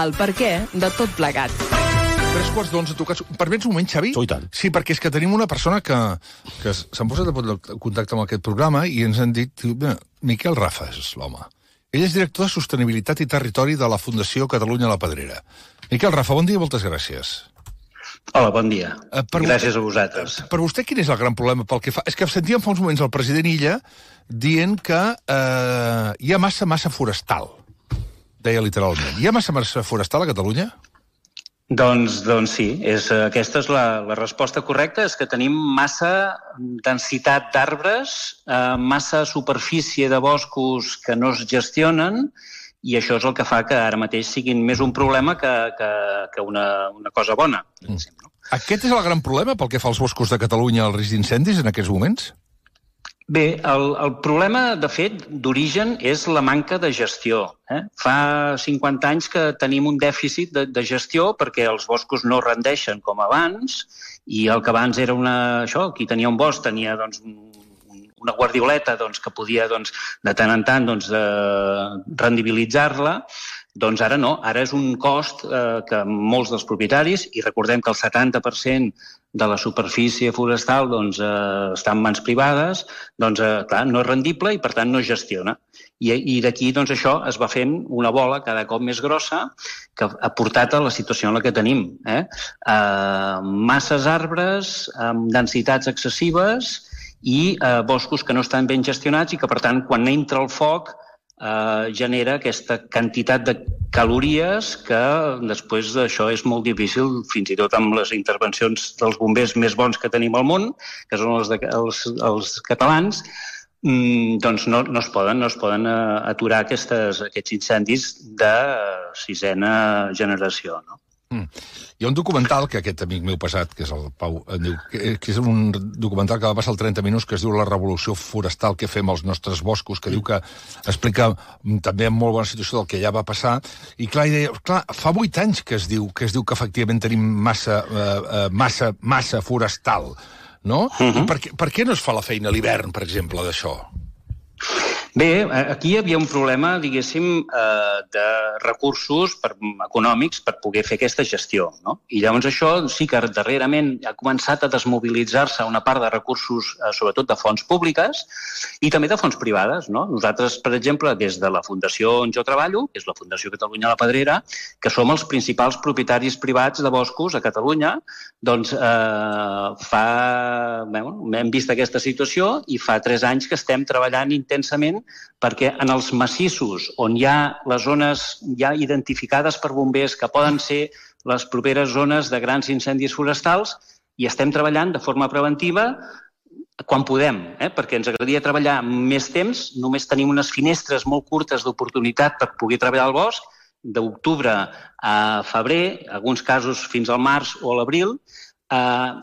el perquè de tot plegat. 11:15 tocats. Permets un moment, Xavi? I tant. Sí, perquè és que tenim una persona que s'han posat en contacte amb aquest programa i ens han dit, Miquel Rafa és l'home. Ell és director de Sostenibilitat i Territori de la Fundació Catalunya La Pedrera. Miquel Rafa, bon dia i moltes gràcies. Hola, bon dia. Gràcies a vosaltres. Per vostè, quin és el gran problema pel que fa? És que sentíem fa uns moments el president Illa dient que hi ha massa forestal. Deia literalment. Hi ha massa forestal a Catalunya? Doncs sí, aquesta és la resposta correcta, és que tenim massa densitat d'arbres, massa superfície de boscos que no es gestionen, i això és el que fa que ara mateix siguin més un problema que una cosa bona. Aquest és el gran problema pel que fa als boscos de Catalunya, el risc d'incendis en aquests moments? Bé, el problema, de fet, d'origen és la manca de gestió. Fa 50 anys que tenim un dèficit de gestió perquè els boscos no rendeixen com abans, i el que abans era qui tenia un bosc tenia una guardioleta que podia de tant en tant rendibilitzar-la. Doncs ara no, ara és un cost que molts dels propietaris, i recordem que el 70% de la superfície forestal està en mans privades, clar, no és rendible i per tant no es gestiona. I d'aquí això es va fent una bola cada cop més grossa que ha portat a la situació en la que tenim. Masses arbres amb densitats excessives i boscos que no estan ben gestionats i que per tant quan entra el foc genera aquesta quantitat de calories que després d'això és molt difícil, fins i tot amb les intervencions dels bombers més bons que tenim al món, que són els catalans, no es poden aturar aquests incendis de sisena generació, no? Hi ha un documental que aquest amic meu passat, que és el Pau, diu, que és un documental que va passar al 30 minuts, que es diu La revolució forestal que fem als nostres boscos, que diu que explica també en molt bona situació del que ja va passar, i clar, fa 8 anys que es diu que efectivament tenim massa forestal, no? I per què no es fa la feina a l'hivern, per exemple, d'això? Bé, aquí hi havia un problema, diguéssim, de recursos econòmics per poder fer aquesta gestió, no? I llavors això sí que darrerament ha començat a desmobilitzar-se una part de recursos, sobretot de fonts públiques i també de fonts privades, no? Nosaltres, per exemple, des de la fundació on jo treballo, que és la Fundació Catalunya La Pedrera, que som els principals propietaris privats de boscos a Catalunya, doncs hem vist aquesta situació i fa 3 anys que estem treballant intensament perquè en els massissos on hi ha les zones ja identificades per bombers que poden ser les properes zones de grans incendis forestals, i estem treballant de forma preventiva quan podem, perquè ens agradaria treballar més temps, només tenim unes finestres molt curtes d'oportunitat per poder treballar al bosc, d'octubre a febrer, en alguns casos fins al març o a l'abril,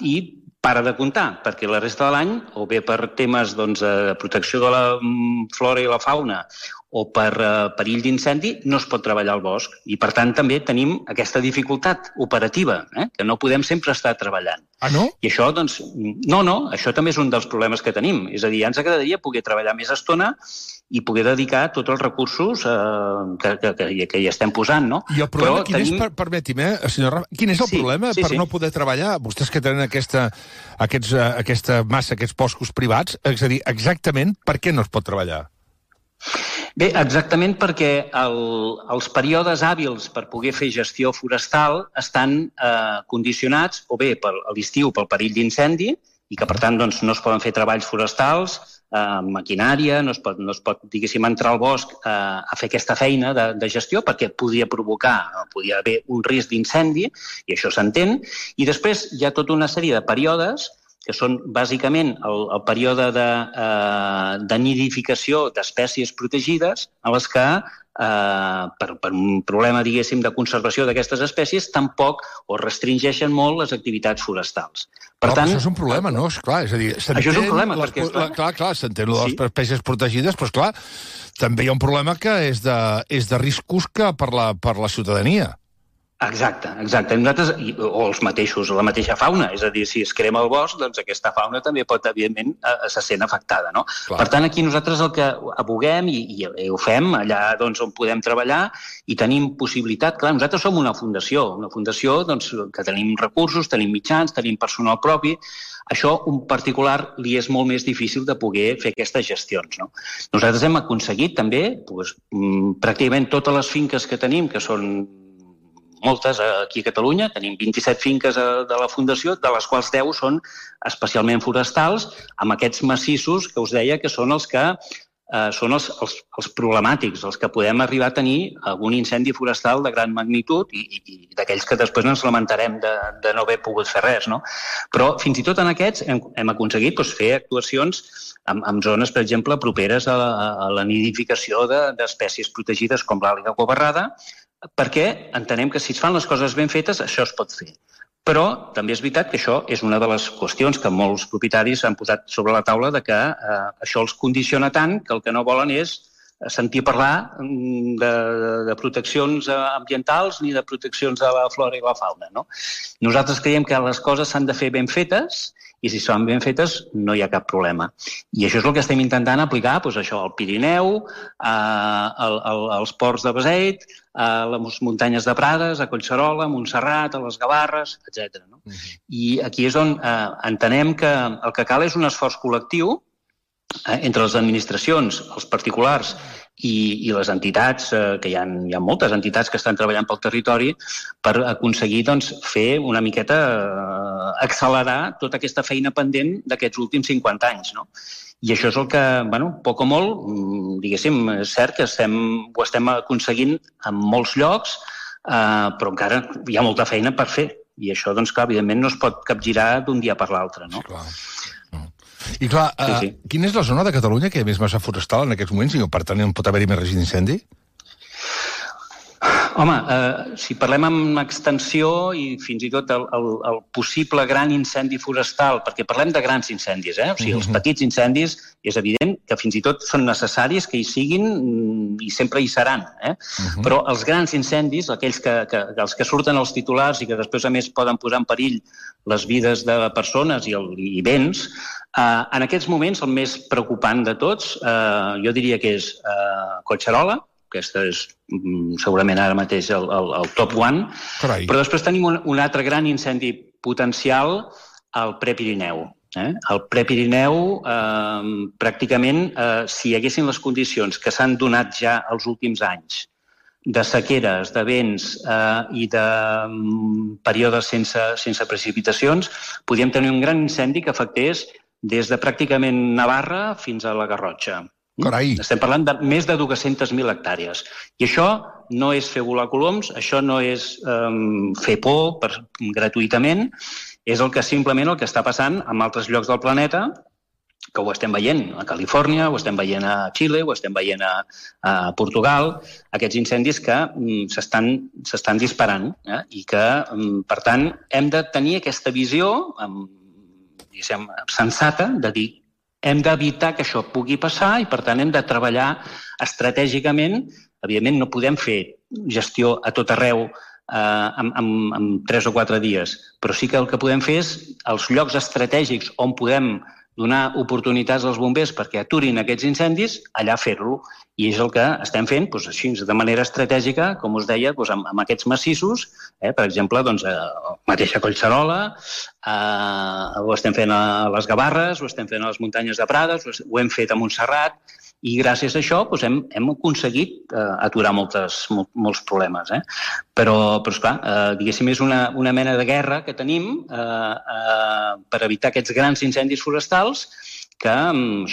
i para de comptar, perquè la resta de l'any, o bé per temes de protecció de la flora i la fauna o per perill d'incendi, no es pot treballar al bosc. I, per tant, també tenim aquesta dificultat operativa, que no podem sempre estar treballant. Ah, no? I això, això també és un dels problemes que tenim. És a dir, ja ens agradaria poder treballar més estona i poder dedicar tots els recursos que hi estem posant, no? I el problema quin és, permeti'm, senyor Rafa, quin és el problema per no poder treballar? Vostès que tenen aquesta massa, aquests boscos privats, és a dir, exactament per què no es pot treballar? Bé, exactament perquè els períodes hàbils per poder fer gestió forestal estan condicionats o bé a l'estiu pel perill d'incendi i que, per tant, no es poden fer treballs forestals, maquinària, no es pot, diguéssim, entrar al bosc a fer aquesta feina de gestió perquè podia haver un risc d'incendi, i això s'entén. I després hi ha tota una sèrie de períodes que són bàsicament el període de nidificació d'espècies protegides, en les que, per un problema, diguéssim, de conservació d'aquestes espècies, tampoc o restringeixen molt les activitats forestals. Per tant, això és un problema, no? Esclar, és a dir, això és un problema, perquè... Clar, s'entén les espècies protegides, però, esclar, també hi ha un problema que és de riscos que per la ciutadania. Exacte. Nosaltres, o els mateixos, la mateixa fauna, és a dir, si es crema el bosc, doncs aquesta fauna també pot, evidentment, se sent afectada, no? Clar. Per tant, aquí nosaltres el que aboguem, i ho fem allà doncs, on podem treballar, i tenim possibilitat, clar, nosaltres som una fundació doncs, que tenim recursos, tenim mitjans, tenim personal propi. Això, un particular, li és molt més difícil de poder fer aquestes gestions, no? Nosaltres hem aconseguit també, doncs, pràcticament totes les finques que tenim, que són moltes aquí a Catalunya, tenim 27 finques de la Fundació, de les quals 10 són especialment forestals, amb aquests massissos que us deia que són els que són els problemàtics, els que podem arribar a tenir algun incendi forestal de gran magnitud i d'aquells que després ens lamentarem de no haver pogut fer res, no? Però fins i tot en aquests hem aconseguit fer actuacions en zones, per exemple, properes a la nidificació d'espècies protegides com l'àliga covarrada, perquè entenem que si es fan les coses ben fetes, això es pot fer. Però també és veritat que això és una de les qüestions que molts propietaris han posat sobre la taula de que això els condiciona tant que el que no volen és sentir parlar de proteccions ambientals ni de proteccions de la flora i la fauna, no? Nosaltres creiem que les coses s'han de fer ben fetes i si són ben fetes no hi ha cap problema. I això és el que estem intentant aplicar això al Pirineu, als ports de Beseit, a les muntanyes de Prades, a Collserola, a Montserrat, a les Gavarres, etc. No? I aquí és on entenem que el que cal és un esforç col·lectiu entre les administracions, els particulars i les entitats, que hi ha moltes entitats que estan treballant pel territori, per aconseguir fer una miqueta, accelerar tota aquesta feina pendent d'aquests últims 50 anys, no? I això és el que, poc o molt, diguéssim, és cert que ho estem aconseguint en molts llocs, però encara hi ha molta feina per fer. I això, doncs, clar, evidentment no es pot capgirar d'un dia per l'altre, no? Clar. I clar, sí. Quina és la zona de Catalunya que hi ha més massa forestal en aquests moments i per tant pot haver-hi més risc d'incendi? Home, si parlem amb extensió i fins i tot el possible gran incendi forestal, perquè parlem de grans incendis, o sigui, els petits incendis és evident que fins i tot són necessaris que hi siguin i sempre hi seran, però els grans incendis, aquells els que surten als titulars i que després a més poden posar en perill les vides de persones i béns, en aquests moments el més preocupant de tots jo diria que és Collserola. Aquesta és segurament ara mateix el top one. Carai. Però després tenim un altre gran incendi potencial al Prepirineu. Al Prepirineu, pràcticament, si hi haguessin les condicions que s'han donat ja els últims anys de sequeres, de vents i de períodes sense precipitacions, podríem tenir un gran incendi que afectés des de pràcticament Navarra fins a la Garrotxa. Carai. Estem parlant de més de 200.000 hectàrees. I això no és fer volar coloms, això no és fer por gratuïtament, és simplement el que està passant en altres llocs del planeta, que ho estem veient a Califòrnia, ho estem veient a Xile, ho estem veient a Portugal, aquests incendis que s'estan disparant i que, per tant, hem de tenir aquesta visió sensata de dir hem d'evitar que això pugui passar i, per tant, hem de treballar estratègicament. Evidentment, no podem fer gestió a tot arreu en 3 o 4 dies, però sí que el que podem fer és els llocs estratègics on podem donar oportunitats als bombers perquè aturin aquests incendis, allà fer-lo. I és el que estem fent així, de manera estratègica, com us deia, amb aquests massissos, per exemple, la mateixa Collserola, ho estem fent a les Gavarres, ho estem fent a les muntanyes de Prades, ho hem fet a Montserrat, i gràcies a això hem aconseguit aturar molts problemes. Però esclar, diguéssim, és una mena de guerra que tenim per evitar aquests grans incendis forestals que hem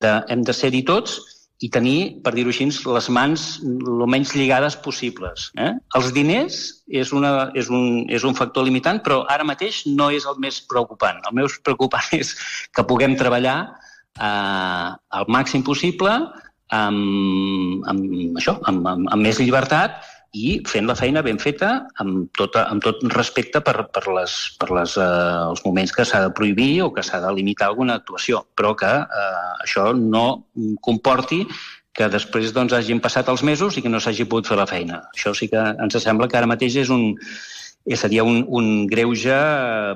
de ser-hi tots i tenir, per dir-ho així, les mans el menys lligades possibles. Els diners és un factor limitant, però ara mateix no és el més preocupant. El més preocupant és que puguem treballar al màxim possible, amb més llibertat i fent la feina ben feta amb tot respecte per els moments que s'ha de prohibir o que s'ha de limitar alguna actuació, però que això no comporti que després hagin passat els mesos i que no s'hagi pogut fer la feina. Això sí que ens sembla que ara mateix seria un greuge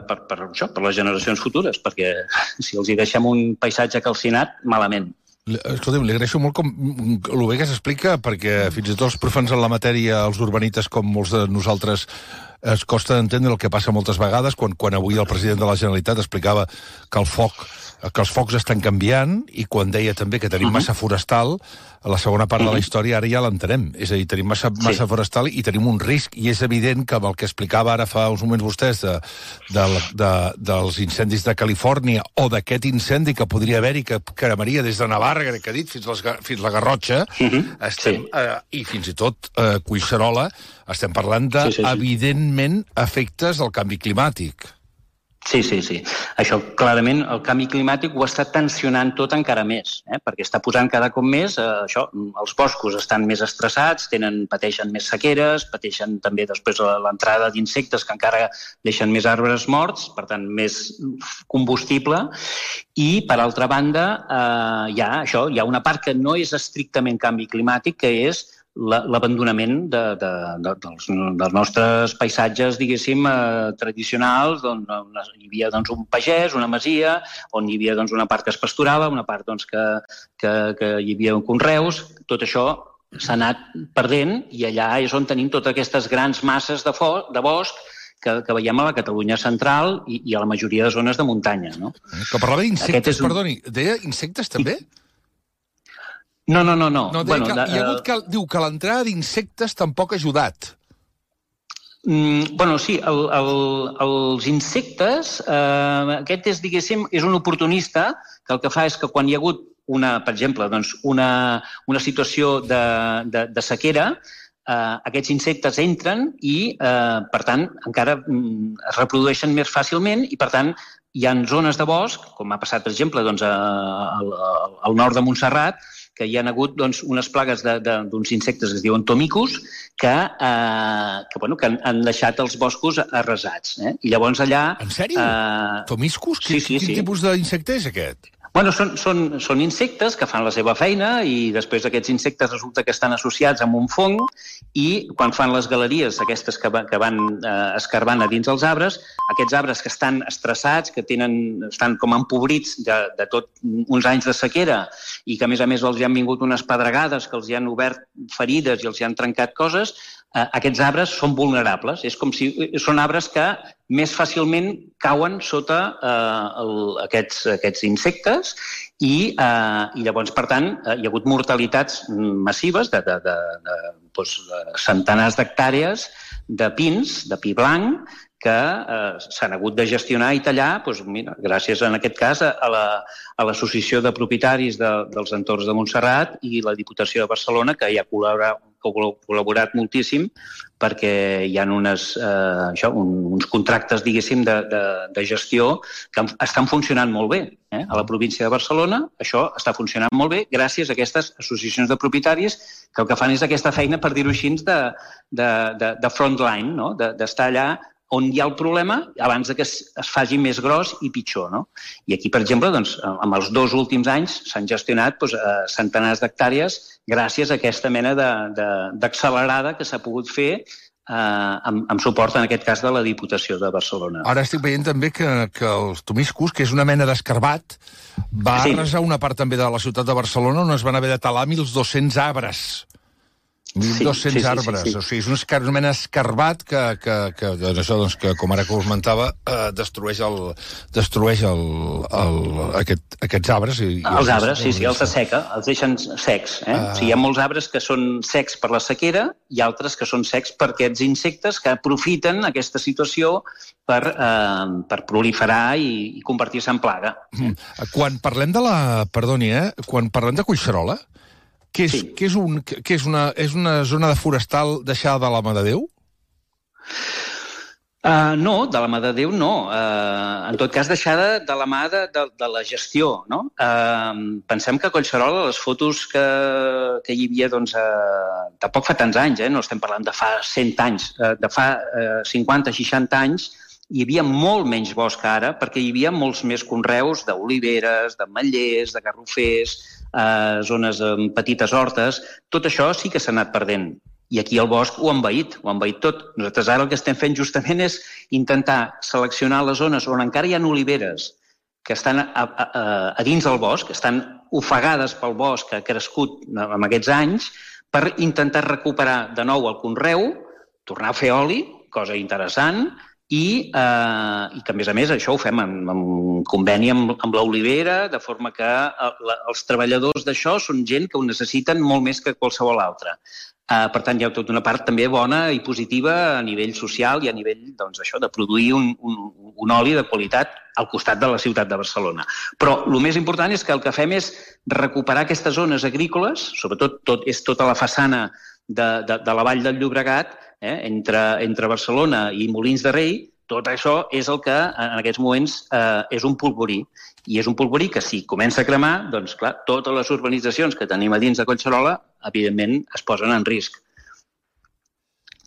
per les generacions futures, perquè si els hi deixem un paisatge calcinat, malament. Escolta'm, li agraeixo molt com el bé que s'explica, perquè fins i tot els profans en la matèria, els urbanites, com molts de nosaltres, es costa d'entendre el que passa moltes vegades, quan avui el president de la Generalitat explicava que els focs estan canviant, i quan deia també que tenim massa forestal, a la segona part de la història ara ja l'entenem. És a dir, tenim massa forestal i tenim un risc, i és evident que amb el que explicava ara fa uns moments vostès dels incendis de Califòrnia, o d'aquest incendi que podria haver-hi, que cremaria des de Navarra, que ha dit, fins la Garrotxa, i fins i tot Collserola, estem parlant de, evidentment, efectes del canvi climàtic. Sí. Això, clarament, el canvi climàtic ho està tensionant tot encara més, perquè està posant cada cop més, els boscos estan més estressats, pateixen més sequeres, pateixen també després l'entrada d'insectes que encara deixen més arbres morts, per tant, més combustible, i, per altra banda, hi ha una part que no és estrictament canvi climàtic, que és l'abandonament dels nostres paisatges, diguéssim, tradicionals, on hi havia un pagès, una masia, on hi havia una part que es pasturava, una part que hi havia conreus. Tot això s'ha anat perdent, i allà és on tenim totes aquestes grans masses de bosc que veiem a la Catalunya central i a la majoria de zones de muntanya. Que parlava d'insectes, perdoni, deia insectes també? No. Diu que l'entrada d'insectes tampoc ha ajudat. Sí, els insectes, aquest és, diguéssim, és un oportunista que el que fa és que quan hi ha hagut, per exemple, una situació de sequera, aquests insectes entren i, per tant, encara es reprodueixen més fàcilment, i, per tant, hi ha zones de bosc, com ha passat, per exemple, al nord de Montserrat, que hi ha hagut unes plagues d'uns insectes que es diuen tomicus, que han deixat els boscos arrasats. I llavors allà... En sèrio? Tomiscus? Quin tipus d'insecte és aquest? Són insectes que fan la seva feina, i després aquests insectes resulta que estan associats amb un fong, i quan fan les galeries aquestes que van escarbant a dins els arbres, aquests arbres que estan estressats, que estan com empobrits de tot uns anys de sequera, i que a més els hi han vingut unes pedregades que els hi han obert ferides i els hi han trencat coses, aquests arbres són vulnerables. És com si són arbres que més fàcilment cauen sota aquests insectes, i llavors, per tant, hi ha hagut mortalitats massives de centenars d'hectàrees de pins, de pi blanc, que s'han hagut de gestionar i tallar, gràcies, en aquest cas, a l'Associació de Propietaris dels Entorns de Montserrat i la Diputació de Barcelona, que hi ha col·laborat moltíssim, perquè hi ha uns contractes, diguéssim, de gestió que estan funcionant molt bé. A la província de Barcelona això està funcionant molt bé gràcies a aquestes associacions de propietaris que el que fan és aquesta feina, per dir-ho així, de frontline, d'estar allà on hi ha el problema abans que es faci més gros i pitjor. I aquí, per exemple, en els 2 últims anys s'han gestionat centenars d'hectàrees gràcies a aquesta mena d'accelerada que s'ha pogut fer amb suport, en aquest cas, de la Diputació de Barcelona. Ara estic veient també que els tomiscus, que és una mena d'escarbat, va arrasar una part també de la ciutat de Barcelona on es van haver de talar 1.200 arbres. 1.200 arbres. O sigui, és una mena escarbat que com ara que us comentava, destrueix aquests arbres. Els arbres, els asseca, els deixen secs. O sigui, hi ha molts arbres que són secs per la sequera i altres que són secs per aquests insectes que aprofiten aquesta situació per proliferar i convertir-se en plaga. Quan parlem quan parlem de Collserola, què és una zona de forestal deixada de la mà de Déu? No, de la mà de Déu no. En tot cas, deixada de la mà de la gestió. Pensem que a Collserola, les fotos que hi havia, tampoc fa tants anys, no estem parlant de fa 100 anys, de fa 50-60 anys, hi havia molt menys bosc ara, perquè hi havia molts més conreus d'oliveres, d'ametllers, de garrofers, zones amb petites hortes, tot això sí que s'ha anat perdent. I aquí el bosc ho ha envaït tot. Nosaltres ara el que estem fent justament és intentar seleccionar les zones on encara hi ha oliveres que estan a dins del bosc, que estan ofegades pel bosc que ha crescut en aquests anys, per intentar recuperar de nou el conreu, tornar a fer oli, cosa interessant, i que, a més, això ho fem en conveni amb l'olivera, de forma que els treballadors d'això són gent que ho necessiten molt més que qualsevol altre. Per tant, hi ha tota una part també bona i positiva a nivell social i a nivell de produir un oli de qualitat al costat de la ciutat de Barcelona. Però el més important és que el que fem és recuperar aquestes zones agrícoles, sobretot és tota la façana de la Vall del Llobregat, entre Barcelona i Molins de Rei. Tot això és el que en aquests moments és un polvorí. I és un polvorí que si comença a cremar, doncs clar, totes les urbanitzacions que tenim a dins de Collserola, evidentment, es posen en risc.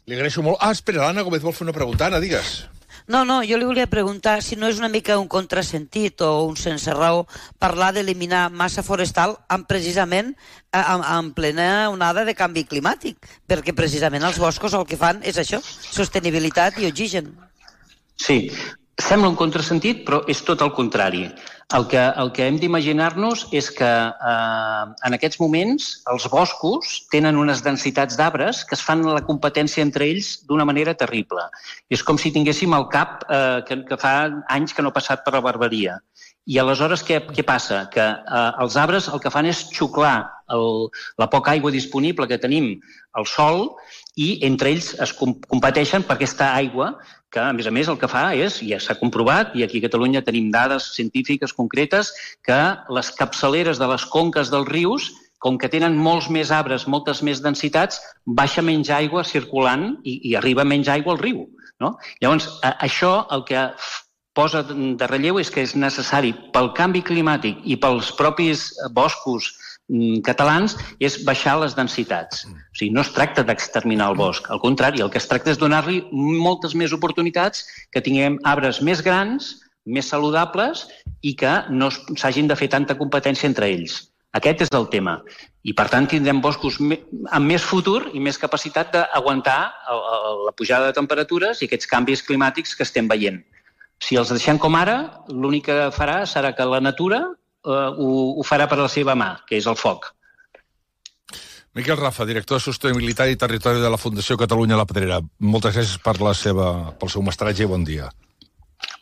Li agraeixo molt. Espera, l'Anna Gómez vol fer una pregunta. Anna, digues. No, jo li volia preguntar si no és una mica un contrasentit o un sense raó parlar d'eliminar massa forestal precisament en plena onada de canvi climàtic, perquè precisament els boscos el que fan és això, sostenibilitat i oxigen. Sí, sembla un contrasentit, però és tot el contrari. El que hem d'imaginar-nos és que en aquests moments els boscos tenen unes densitats d'arbres que es fan la competència entre ells d'una manera terrible. És com si tinguéssim el cap que fa anys que no ha passat per la barberia. I aleshores què passa? Que els arbres el que fan és xuclar la poca aigua disponible que tenim al sòl i entre ells es competeixen per aquesta aigua que, a més, el que fa és, ja s'ha comprovat, i aquí a Catalunya tenim dades científiques concretes, que les capçaleres de les conques dels rius, com que tenen molts més arbres, moltes més densitats, baixa menys aigua circulant i arriba menys aigua al riu. No? Llavors, això el que posa de relleu és que és necessari pel canvi climàtic i pels propis boscos catalans és baixar les densitats. O sigui, no es tracta d'exterminar el bosc, al contrari, el que es tracta és donar-li moltes més oportunitats, que tinguem arbres més grans, més saludables i que no s'hagin de fer tanta competència entre ells. Aquest és el tema. I, per tant, tindrem boscos amb més futur i més capacitat d'aguantar la pujada de temperatures i aquests canvis climàtics que estem veient. Si els deixem com ara, l'únic que farà serà que la natura ho farà per la seva mà, que és el foc. Miquel Rafa, director de Sostenibilitat i Territori de la Fundació Catalunya La Pedrera. Moltes gràcies pel seu mestratge i bon dia.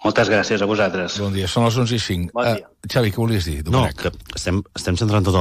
Moltes gràcies a vosaltres. Bon dia. Són les 11:05. Bon dia. Xavi, què volies dir? No, que estem centrant tot